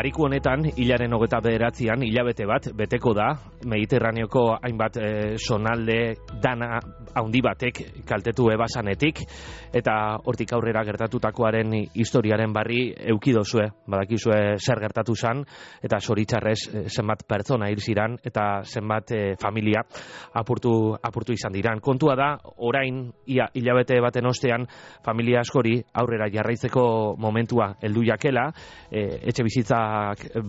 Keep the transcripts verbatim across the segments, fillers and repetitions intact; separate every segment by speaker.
Speaker 1: Bariku honetan, hilaren hogeta bederatzian, hilabete bat, beteko da, Mediterraneoko hainbat e, sonalde dana handi batek kaltetu ebasanetik, eta hortik aurrera gertatutakoaren historiaren barri eukidozue, badakizue zer gertatu zan, eta zoritxarrez e, zenbat pertsona hil ziran, eta zenbat e, familia apurtu, apurtu izan diran. Kontua da, orain, ia hilabete baten ostean, familia askori aurrera jarraitzeko momentua heldu jakela, e, etxe bizitza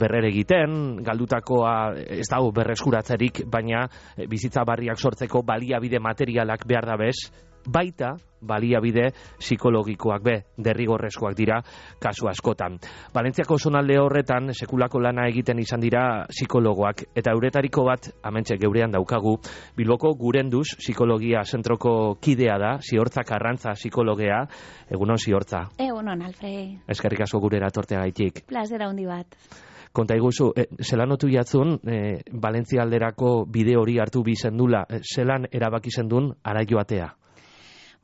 Speaker 1: berrere egiten, galdutakoa ez dago berreskuratzerik, baina bizitza barriak sortzeko baliabide materialak behar da bez, baita baliabide psikologikoak be, derrigorrezkoak dira kasu askotan. Valentziako zonalde horretan sekulako lana egiten izan dira psikologoak, eta euretariko bat, hementxe geurean daukagu, Bilboko Gurenduz psikologia zentroko kidea da, Ziortza Karrantza psikologea. Egunon, Ziortza.
Speaker 2: Egunon, Alfred.
Speaker 1: Eskerrik asko gurera torteagaitik.
Speaker 2: Plazera handi bat.
Speaker 1: Konta iguzu, e, zelan otu jatzun, e, Valentzia alderako bide hori hartu bizendula, e, zelan erabaki zendun ara joatea?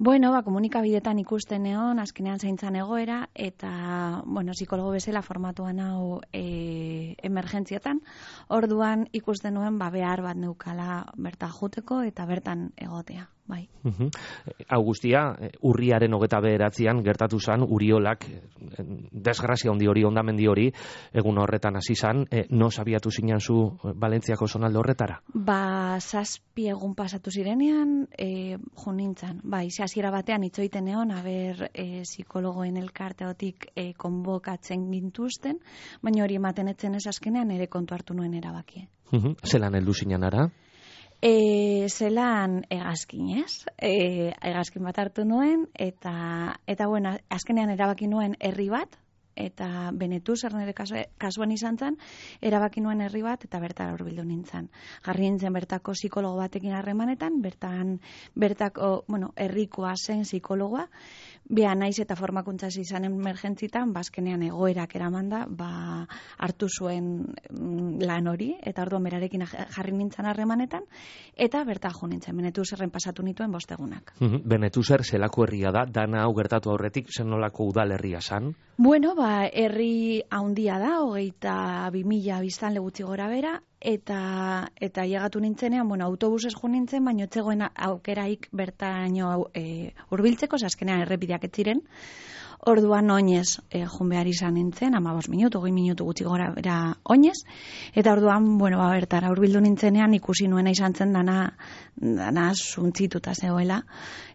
Speaker 2: Bueno, ba, komunikabidetan ikusten egon, azkenean zaintzan egoera, eta, bueno, psikologo bezala formatuan hau e, emergentzietan, orduan ikusten nuen, ba, behar bat neukala bertan juteko eta bertan egotea, bai.
Speaker 1: Uh-huh. Hau guztia, urriaren hogeta bederatzian gertatu zan, Uriolak, desgrazia handi hori, ondamendi hori, egun horretan hasi zan, e, no sabiatu zinen zu Valentziako zonalde horretara?
Speaker 2: Ba, zazpi egun pasatu zirenean, e, jo nintzen, bai, hasiera batean itzoiten egon, haber e, psikologoen elkarteotik e, konbokatzen gintuzten, baina hori ematen etzen ez azkenean ere kontu hartu nuen erabakie.
Speaker 1: Uh-huh. Zelan heldu zinen ara?
Speaker 2: E, zelan egazkin, ez? E, egazkin bat hartu nuen, eta, eta bueno, azkenean erabaki nuen herri bat, eta Benetúser nire kasuan izan zen, erabaki nuen herri bat, eta bertara hurbildu nintzen. Jarri nintzen bertako psikologo batekin harremanetan, bertan, bertako, bueno, herrikoa zen psikologoa, Bea naiz eta formakuntza izan emergentzitan, bazkenean egoerak eramanda, ba, hartu zuen lan hori, eta orduan berarekin jarri nintzen harremanetan, eta berta jo nintzen, Benetúserren pasatu nituen bostegunak.
Speaker 1: Benetúser zelako herria da, dana hau gertatu aurretik, zen nolako udal herria zan?
Speaker 2: Bueno, ba, herri haundia da, hogeita bi mila biztanle gutxi gora bera, eta eta llegatu nintzenean, bueno, autobusez jo nintzen, baina etzegoen aukeraik bertaino e, hurbiltzeko, azkenean errepideak ez ziren. Orduan oinez e, joan behar izan nintzen, hamabost minutu, hogei minutu gutxi gora bera oinez, eta orduan, bueno, ba, bertara hurbildu nintzenean ikusi nuena izan zen dana, dana zuntzituta zegoela,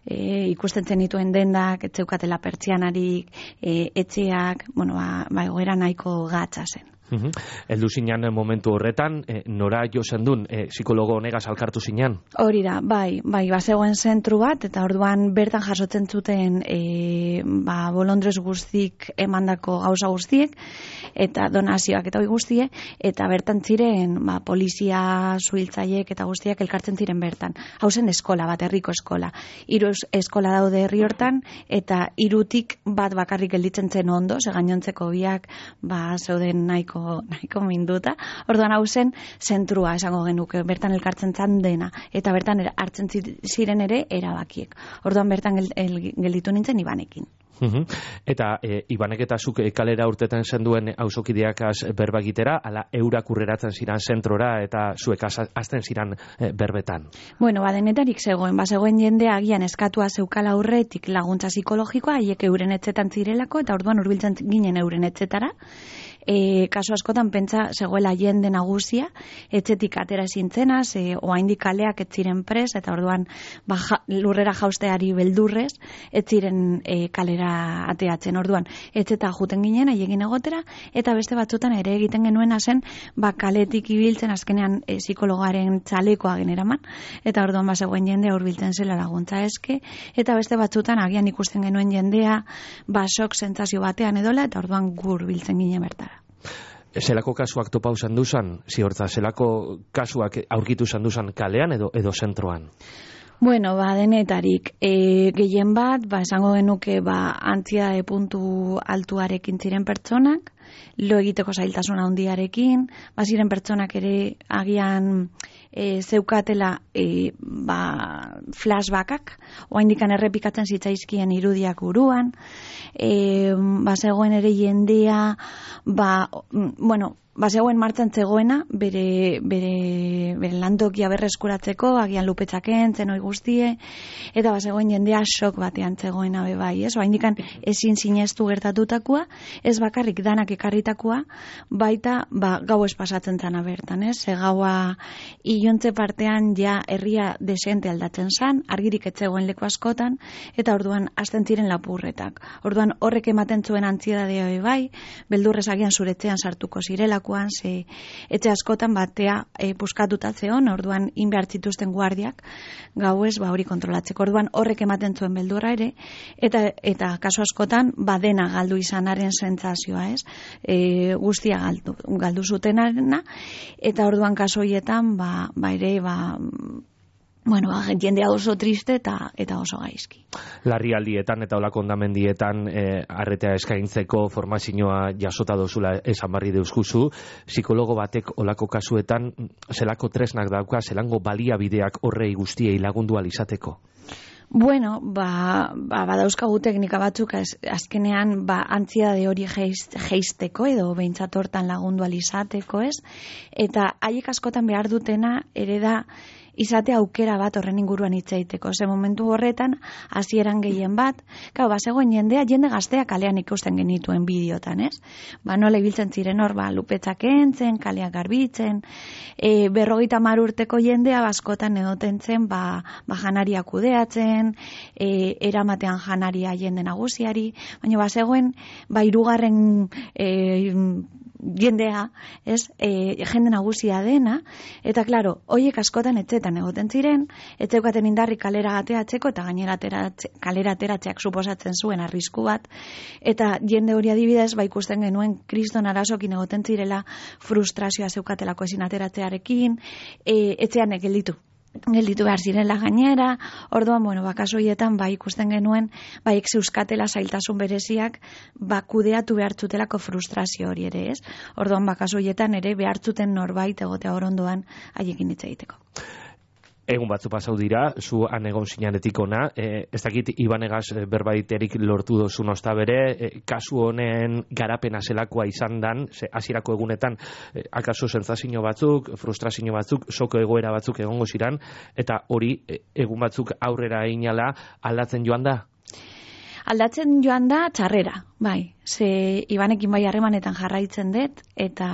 Speaker 2: e, ikusten zen dituen dendak, etzeukatela pertsianarik, e, etxeak, bueno, ba, ba egoera nahiko gatza zen.
Speaker 1: Uhum. Eldu zinan momentu horretan, e, nora jo zendun, e, psikologo honegaz alkartu zinan?
Speaker 2: Hori da, bai, bai, bazegoen zentru bat, eta orduan bertan jasotzen zuten e, ba, bolondrez guztik emandako gauza guztiek, eta donazioak eta hori guztie, eta bertan ziren ba, polizia zuhiltzaiek eta guztiak elkartzen ziren bertan. Hau zen eskola bat, herriko eskola. Hiru eskola daude herri hortan, eta hirutik bat bakarrik gelditzen zen ondo, ze gainontzeko biak ba, zeuden nahiko nahiko minduta. Orduan hau zen zentrua esango genuke, bertan elkartzen zan dena, eta bertan hartzen ziren ere erabakiek. Orduan bertan gel, el, gelditu nintzen Ibanekin.
Speaker 1: Uhum. Eta e, Ibanek eta zuk e, kalera urtetan zenduen auzokideakaz berba egitera, ala eurak urreratzen ziran zentrora eta zuek azten ziran e, berbetan?
Speaker 2: Bueno, badenetarik zegoen, bazegoen jende agian eskatua zeukala aurretik laguntza psikologikoa, haiek euren etxetan zirelako, eta orduan hurbiltzen ginen euren etxetara. E, kasu askotan pentsa zegoela jende nagusia, etxetik atera zintzena, ze oraindik kaleak ez ziren pres, eta orduan ba, ja, lurrera jausteari beldurrez, ez ziren e, kalera ateatzen. Orduan, etxeta juten ginen, haiekin egotera, eta beste batzutan ere egiten genuena zen, ba, kaletik ibiltzen azkenean e, psikologaren txalekoa generaman, eta orduan bazegoen jendea hurbiltzen zela laguntza eske, eta beste batzutan agian ikusten genuen jendea, ba, sok sentsazio batean edola, eta orduan gur biltzen ginen bertara.
Speaker 1: Zelako kasuak topa usan duzan, Ziortza, zelako kasuak aurkitu usan duzan kalean edo edo zentroan?
Speaker 2: Bueno, ba, denetarik, e, gehien bat, ba, esango genuke, ba, antziedade puntu altuarekin ziren pertsonak, lo egiteko zailtasun handiarekin, baziren pertsonak ere agian e, zeukatela e, ba, flashbackak, oaindikan errepikatzen zitzaizkien irudiak buruan, e, ba, zegoen ere jendea, ba, bueno, ba, zegoen martxan zegoena, bere, bere, bere lantokia berreskuratzeko, agian lupetzaken, zenoi guztie, eta ba, zegoen jendea sok batean zegoena bebai, ez? Oaindikan ezin sinestu gertatutakoa, ez bakarrik danak ekarritakoa, baita, ba, gau ez pasatzen zana bertan, ez? Ze gaua iluntze partean ja herria desente aldatzen zan, argirik etzegoen leku askotan, eta orduan hasten ziren lapurretak. Orduan horrek ematen zuen antziedadea bai, beldurrez agian zuretzean sartuko zirelakoan, ze etxe askotan batea e, puskatuta zeon, orduan inbehar zituzten guardiak gauez ba hori kontrolatzeko. Orduan horrek ematen zuen beldurra ere, eta eta kasu askotan badena galdu izanaren sentsazioa, ez? E, guztia galdu, galdu zutenarena, eta orduan kasu horietan ba, ba ere ba bueno, jendea oso triste eta eta oso gaizki.
Speaker 1: Larrialdietan eta olako ondamendietan eh, arretea eskaintzeko formazioa jasota dozula esan barri deuskuzu, psikologo batek olako kasuetan zelako tresnak dauka, zelango baliabideak horrei guztiei lagundu alizateko?
Speaker 2: Bueno, ba, ba, badauzkagu teknika batzuk az, azkenean ba, antziedade hori jeisteko edo behintzat hortan lagundu alizateko, ez? Eta haiek askotan behar dutena ere da izate aukera bat horren inguruan hitz egiteko. Ze momentu horretan hasieran gehien bat, gau, ba, zegoen jendea, jende gaztea kalean ikusten genituen bideotan, ez? Ba, nola ibiltzen ziren hor, ba, lupetzak entzen, kaleak garbitzen, e, berrogeita hamar urteko jendea baskotan edoten zen, ba, ba janaria kudeatzen, e, eramatean janaria jende nagusiari, baina ba, zegoen, ba, hirugarren e, jendea, ez, e, jende nagusia dena, eta klaro, hoiek askotan etxetan egoten ziren, etzeukaten indarri kalera ateatzeko, eta gainera ateratze, kalera ateratzeak suposatzen zuen arrisku bat, eta jende hori adibidez, ba ikusten genuen kriston arazokin egoten zirela, frustrazioa zeukatelako ezin ateratzearekin, e, etxean gelditu. gelditu behar zirela gainera, orduan, bueno, bakaso hietan, ba, ikusten genuen, ba, zeuzkatela zailtasun bereziak, ba, kudeatu behartzutelako frustrazio hori ere, ez? Orduan, bakaso hietan ere behartzuten norbait egotea horondoan haiekin hitz egiteko.
Speaker 1: Egun batzu pasau dira, zu han egon zinanetik ona, e, ez dakit Ibanegaz berbaiterik lortu dozu nosta bere, e, kasu honen garapena zelakoa izan dan, ze hasierako egunetan, e, akaso sentsazio batzuk, frustrazio batzuk, soko egoera batzuk egongo ziran, eta hori e, egun batzuk aurrera einala aldatzen joan da?
Speaker 2: Aldatzen joan da txarrera, bai. Ze Ibanekin bai harremanetan jarraitzen dut, eta,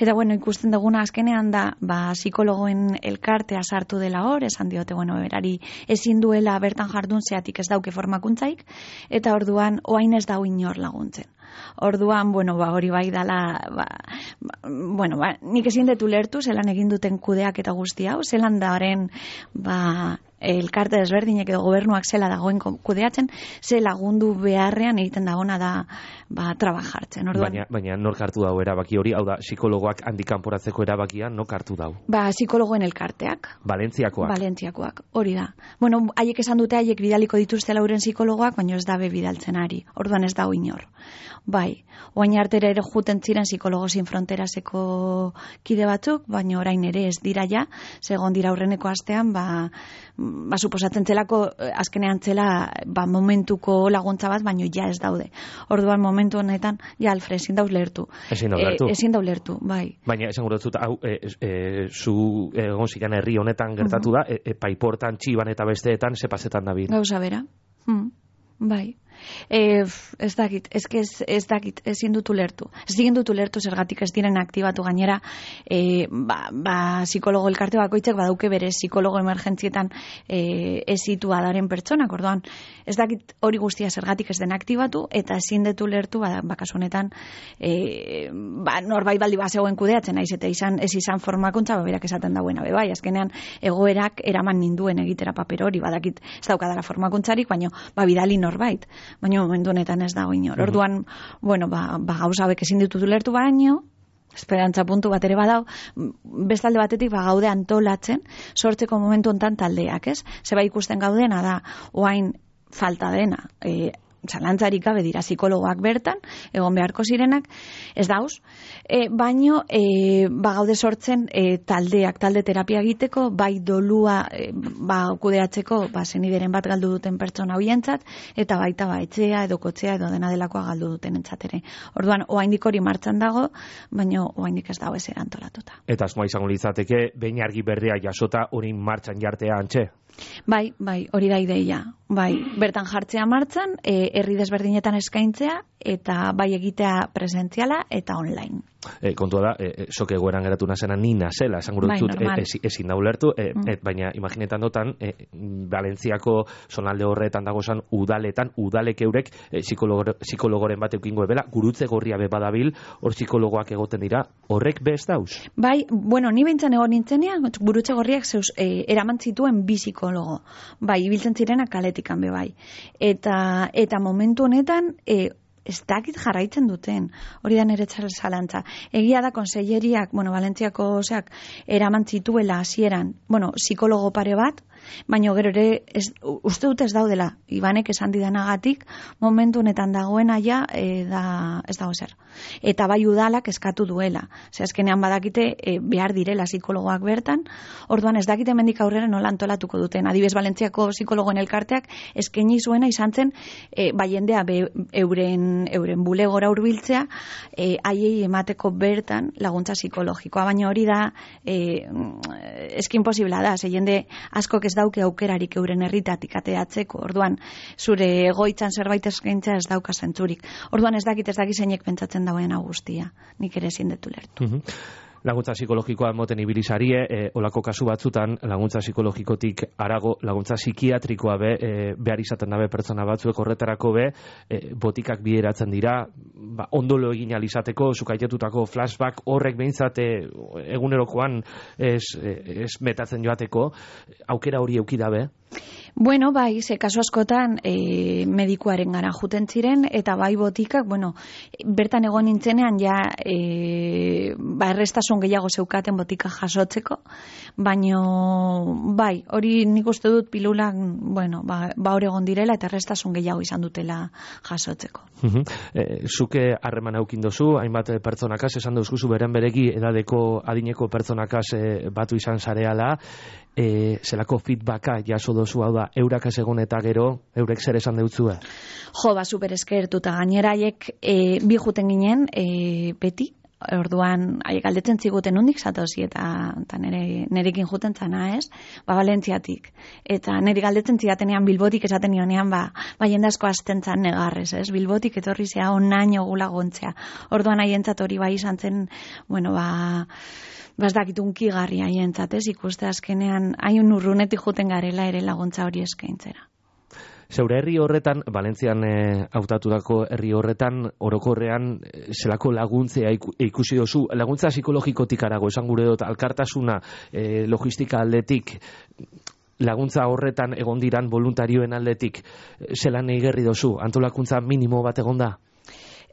Speaker 2: eta bueno, ikusten duguna azkenean da, ba, psikologoen elkartea sartu dela hor, esan diote, bueno, berari ezin duela bertan jardun zeatik ez dauke formakuntzaik, eta orduan oain ez dau inor laguntzen. Orduan, bueno, ba, hori bai dala, ba, ba, bueno, ba, nik ezin dut ulertu, zelan egin duten kudeak eta guzti hau, zelan da horren, ba, elkarte desberdinek edo gobernuak zela dagoen kudeatzen, ze lagundu beharrean egiten dagona da ba, trabajartzen. Orduan,
Speaker 1: baina, baina nork hartu dau erabaki hori, hau da, psikologoak handikanporatzeko erabakia, nok hartu dau?
Speaker 2: Ba, psikologoen elkarteak.
Speaker 1: Valentziakoak?
Speaker 2: Valentziakoak, hori da. Bueno, haiek esan dute, haiek bidaliko dituzte lauren psikologoak, baina ez dabe bidaltzen ari. Orduan ez dau inor. Bai, oain artera ere juten ziren psikologo sin fronteraseko kide batzuk, baina orain ere ez dira ja, segon dira aurreneko astean, ba, ba suposatzen zelako azkenean zela ba, momentuko laguntza bat, baina ja ez daude. Orduan momentu honetan, ja Alfred, ezin da ulertu.
Speaker 1: Ezin da ulertu.
Speaker 2: E, ezin da ulertu, bai.
Speaker 1: Baina esan guratzut, hau, e, e, zu egon zikan herri honetan gertatu da, e, e, paiportan, txiban eta besteetan, zepazetan da bir.
Speaker 2: Gauza bera, hmm. Bai. E, ez dakit, ez, ez, ez dakit, ezin dut ulertu. Ezin dut ulertu zergatik ez diren aktibatu gainera, e, ba, ba, psikologo elkarte bakoitzak badauke bere psikologo emergentzietan e, ezitua daren pertsonak, orduan, ez dakit hori guztia zergatik ez den aktibatu, eta ezin dut ulertu, ba, bakasu honetan, e, ba, norbait baldi bazegoen kudeatzen, naiz eta izan, ez izan formakuntza, ba, berak esaten dauena, be, bai, azkenean egoerak eraman ninduen egitera paper hori, badakit ez daukadala formakuntzarik, baina, ba, bidali norbait. Baina momentu honetan ez dago inor. Orduan, bueno, ba, ba gauza hauek ezin ditut ulertu baino, esperantza puntu bat ere badau, bestalde batetik ba gaude antolatzen, sortzeko momentu hontan taldeak, ez? Zeba ikusten gaudena da, oain falta dena, e, zalantzarik gabe dira psikologoak bertan, egon beharko zirenak, ez dauz, e, baino e, ba gaude sortzen e, taldeak, talde terapia egiteko, bai dolua e, ba kudeatzeko, ba zenideren bat galdu duten pertsona hoientzat, eta baita ba etxea edo kotzea edo dena delakoa galdu duten entzatere. Orduan, oraindik hori martxan dago, baino oraindik ez dago ez erantolatuta.
Speaker 1: Eta asmoa izango litzateke behin argi berria jasota hori martxan jartea antxe.
Speaker 2: Bai, bai, hori da ideia. Bai, bertan jartzea martxan, e, herri desberdinetan eskaintzea, eta bai egitea presentziala eta online.
Speaker 1: E, kontua da, e, sok egoeran geratu nazena ni nazela, esan gure dut,
Speaker 2: bai,
Speaker 1: e, ezin da ulertu, e, mm. e, baina imaginetan dotan, e, Valentziako zonalde horretan dagozan udaletan, udalek eurek e, psikologo, psikologoren bat eukingo ebela, gurutze gorria be badabil, hor psikologoak egoten dira, horrek bez dauz?
Speaker 2: Bai, bueno, ni behintzen egon nintzenean, gurutze gorriak zeus, e, eraman zituen bi psikologo, bai, ibiltzen zirenak kaletikan be bai. Eta, eta momentu honetan, e, ez dakit jarraitzen duten, hori da nire zalantza. Egia da konselleriak, bueno, Valentziako oseak, eraman zituela hasieran, bueno, psikologo pare bat, baina gero ere, ez, uste dut ez daudela, Ibanek esan didanagatik, momentu honetan dagoena ja, e, da, ez dago zer. Eta bai udalak eskatu duela. Ze azkenean badakite e, behar direla psikologoak bertan, orduan ez dakite hemendik aurrera nola antolatuko duten. Adibez Valentziako psikologoen elkarteak eskaini zuena izan zen, e, bai jendea be, euren, euren bulegora hurbiltzea, e, haiei emateko bertan laguntza psikologikoa, baina hori da e, eskin posibla da, ze jende asko ez dauke aukerarik euren herritatik ateatzeko, orduan zure egoitzan zerbait eskaintza ez dauka zentzurik. Orduan ez dakit ez dakit zeinek pentsatzen dagoen guztia, nik ere ezin dut ulertu.
Speaker 1: Uh-huh. Laguntza psikologikoa moten ibilizarie, e, olako kasu batzutan, laguntza psikologikotik arago, laguntza psikiatrikoa be, e, behar izaten dabe pertsona batzuek horretarako be, e, botikak bideratzen dira, ba, ondolo egin alizateko, zukaitetutako flashback horrek behintzat egunerokoan ez, ez metatzen joateko, aukera hori euki dabe?
Speaker 2: Bueno, bai, ze kasu askotan e, medikuaren gara juten ziren, eta bai botikak, bueno, bertan egon nintzenean ja e, ba, errestasun gehiago zeukaten botika jasotzeko, baino bai, hori nik uste dut pilulak, bueno, ba, ba hor egon direla eta errestasun gehiago izan dutela jasotzeko.
Speaker 1: Uh-huh. E, zuke harreman aukin dozu, hainbat pertsonakaz, esan duzkuzu beren beregi edadeko adineko pertsonakaz e, batu izan zareala, e, zelako feedbacka jaso dozu, hau da, eurak ez egon eta gero, eurek zer esan deutzue?
Speaker 2: Jo, ba, super eskertuta, gainera haiek e, bi juten ginen, e, beti, orduan haiek galdetzen ziguten nondik zatozi eta, eta nere, nerekin juten zana, ez? Ba, Valentziatik. Eta neri galdetzen zidatenean Bilbotik esaten nionean, ba, ba jende asko hasten zan negarrez, ez? Bilbotik etorri zea onaino gulagontzea. Orduan haientzat hori bai izan zen, bueno, ba, bazdakit unkigarri haientzat, ez? Ikuste azkenean hain urrunetik juten garela ere laguntza hori eskaintzera.
Speaker 1: Zeure herri horretan, Valentzian e, hautatutako herri horretan, orokorrean e, zelako laguntzea ikusi dozu, laguntza psikologikotik arago, esan gure dut, alkartasuna, e, logistika aldetik, laguntza horretan egon diran voluntarioen aldetik, zelan eigerri dozu, antolakuntza minimo bat egon da?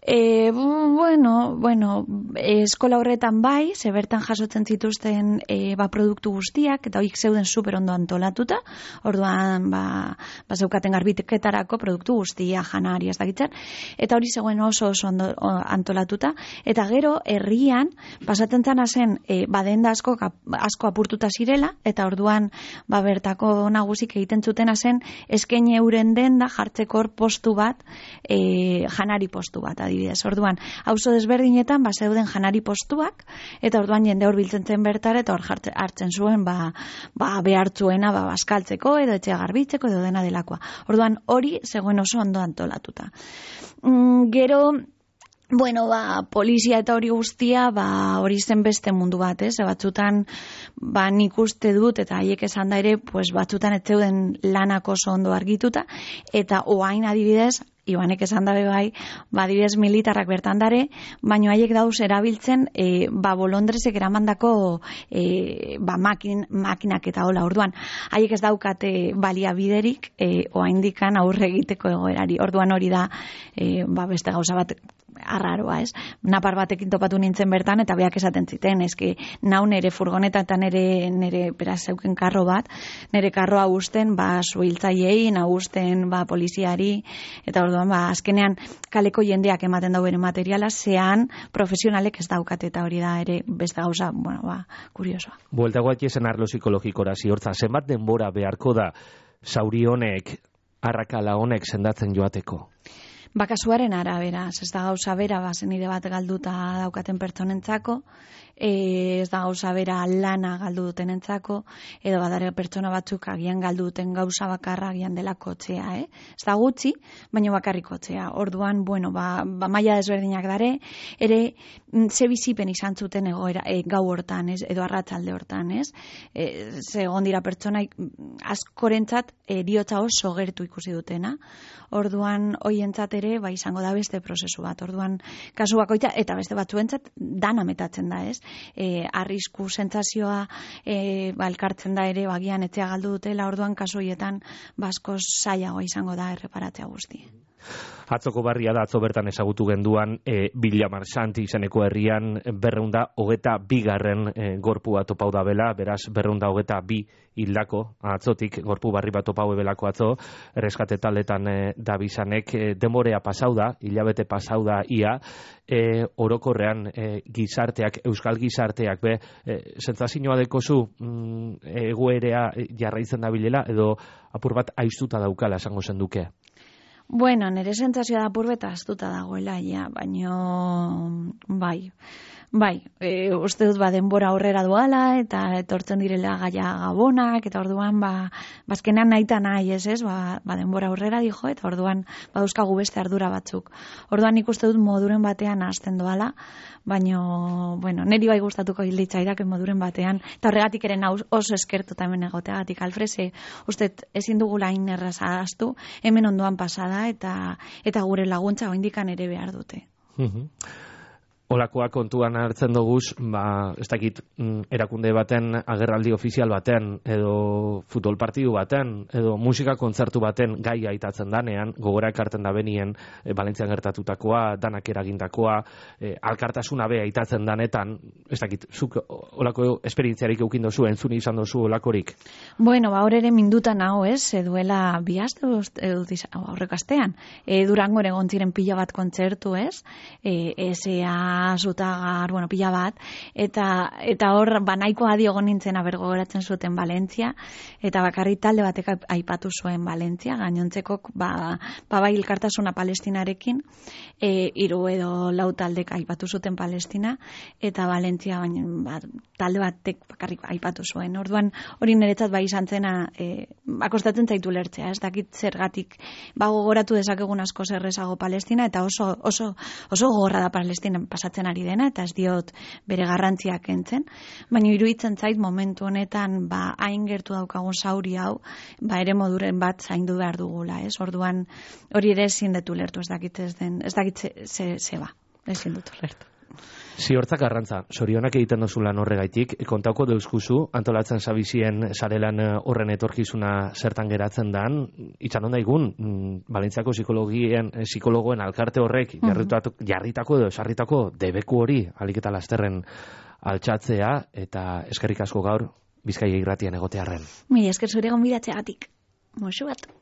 Speaker 2: E, bueno, bueno, eskola horretan bai, ze bertan jasotzen zituzten e, ba, produktu guztiak, eta hoik zeuden super ondo antolatuta, orduan ba, ba zeukaten garbiketarako produktu guztia, janari, ez dakitzen, eta hori zegoen oso oso ondo antolatuta, eta gero herrian pasatzen zana zen e, badenda asko, asko apurtuta zirela, eta orduan ba, bertako nagusik egiten zutena zen eskaini euren denda jartzeko hor postu bat, e, janari postu bat, adibidez. Orduan, auzo desberdinetan ba zeuden janari postuak eta orduan jende hor biltzen zen bertara eta hor hartzen zuen ba, ba behartzuena ba baskaltzeko edo etxea garbitzeko edo dena delakoa. Orduan hori zegoen oso ondo antolatuta. Mm, gero Bueno, ba, polizia eta hori guztia, ba, hori zen beste mundu bat, ez? Batzutan, ba, nik uste dut, eta haiek esan da ere, pues, batzutan ez zeuden lanak oso ondo argituta, eta oain adibidez, Ibanek esan dabe bai, ba, adibidez militarrak bertan dare, baino haiek dauz erabiltzen, e, ba, bolondresek eramandako e, ba, makin, makinak eta hola, orduan, haiek ez daukate baliabiderik, e, oaindikan aurre egiteko egoerari, orduan hori da, e, ba, beste gauza bat, arraroa, ez? Napar batekin topatu nintzen bertan, eta beak esaten ziten, eski nau nere furgoneta eta nere, nere beraz zeuken karro bat, nere karroa usten, ba, suhiltzaileei, nagusten, ba, poliziari, eta orduan, ba, azkenean kaleko jendeak ematen dau bere materiala, zean profesionalek ez daukate, eta hori da ere beste gauza, bueno, ba, kuriosoa.
Speaker 1: Buelta guatiezen arlo psikologikora ziortza, zenbat denbora beharko da zauri honek, arrakala honek sendatzen joateko?
Speaker 2: Bakasuaren arabera, ez da gauza bera, ba, zenide bat galduta daukaten pertsonentzako, e, ez da gauza bera lana galdu dutenentzako, edo badare pertsona batzuk agian galdu duten gauza bakarra agian dela kotxea, eh? Ez da gutxi, baina bakarrik kotxea. Orduan, bueno, ba, ba maila desberdinak dare, ere ze bizipen izan zuten egoera, e, gau hortan, ez? Edo arratsalde hortan, ez? E, ze egon dira pertsona askorentzat eriotza oso gertu ikusi dutena. Orduan, hoientzat ere, ba, izango da beste prozesu bat. Orduan, kasu bakoitza, eta beste batzuentzat dana metatzen da, ez? E, arrisku sentsazioa e, ba, elkartzen da ere, bagian etzea galdu dutela, orduan, kasu hoietan, basko zailagoa izango da erreparatzea guzti.
Speaker 1: Atzoko barria da, atzo bertan ezagutu genduan, e, Villamarxanti izeneko herrian berreunda hogeta bigarren e, gorpua topau da bela, beraz berreunda hogeta bi hildako, atzotik gorpu barri bat topau ebelako atzo, erreskate taldetan e, da bizanek, e, demorea pasau da, hilabete pasau da ia, e, orokorrean e, gizarteak, euskal gizarteak, be, e, sentsazioa dekozu mm, egoerea jarraitzen da bilela, edo apur bat aiztuta daukala esango zenduke?
Speaker 2: Bueno, nire sentsazioa da purbeta astuta dagoela, ja, baino, bai, bai, e, uste dut ba denbora aurrera duala, eta etortzen direla gaia gabonak, eta orduan, ba, bazkenean nahi eta nahi, ez ez, ba, ba denbora aurrera dijo, eta orduan, ba dauzkagu beste ardura batzuk. Orduan nik uste dut moduren batean hasten doala, baino, bueno, niri bai gustatuko hilditzaidak moduren batean, eta horregatik ere oso eskertu hemen egoteagatik, Alfrese, uste ezin dugula hain erraza astu, hemen ondoan pasada, eta eta gure laguntza oindikan ere behar dute.
Speaker 1: Olakoa kontuan hartzen doguz, ba, ez dakit, erakunde baten, agerraldi ofizial baten, edo futbol partidu baten, edo musika kontzertu baten gai aitatzen danean, gogora ekarten da benien, e, Valentzian gertatutakoa, danak eragindakoa, e, alkartasuna be aitatzen danetan, ez dakit, zuk olako esperientziarik eukin dozu, entzuni izan dozu olakorik?
Speaker 2: Bueno, ba, hor ere mindutan hau, ez, duela bi aste aurreko astean, e, Durangon egon ziren pila bat kontzertu, ez, e, esea Zutagar, bueno, pila bat, eta eta hor banaiko adi egon nintzen aber gogoratzen zuten Valentzia, eta bakarrik talde batek aipatu zuen Valentzia, gainontzekok ba, ba bai elkartasuna Palestinarekin, e, hiru edo lau taldek aipatu zuten Palestina, eta Valentzia baina ba, talde batek bakarrik aipatu zuen. Orduan hori niretzat bai izan zena, e, akostatzen zaitu lertzea, ez dakit zergatik, ba gogoratu dezakegun asko zerrezago Palestina, eta oso oso oso gogorra da Palestina pasatzen ari dena, eta ez diot bere garrantziak kentzen, baina iruditzen zait momentu honetan ba hain gertu daukagun zauri hau, ba ere moduren bat zaindu behar dugula, ez? Orduan hori ere ezin dut ulertu, ez dakit ez den, ez dakit ze ze ba, ezin dut ulertu.
Speaker 1: Ziortzak arrantza, sorionak egiten dozu lan horregaitik, kontauko deuskuzu, antolatzen zabizien sarelan horren etorkizuna zertan geratzen dan, itxan onda igun, Valentziako psikologien, psikologoen alkarte horrek jarritako, jarritako edo esarritako debeku hori, alik eta lasterren altxatzea, eta eskerrik asko gaur, Bizkaia irratian egotearren.
Speaker 2: Mi esker zure gonbidatzeagatik. Moxu bat.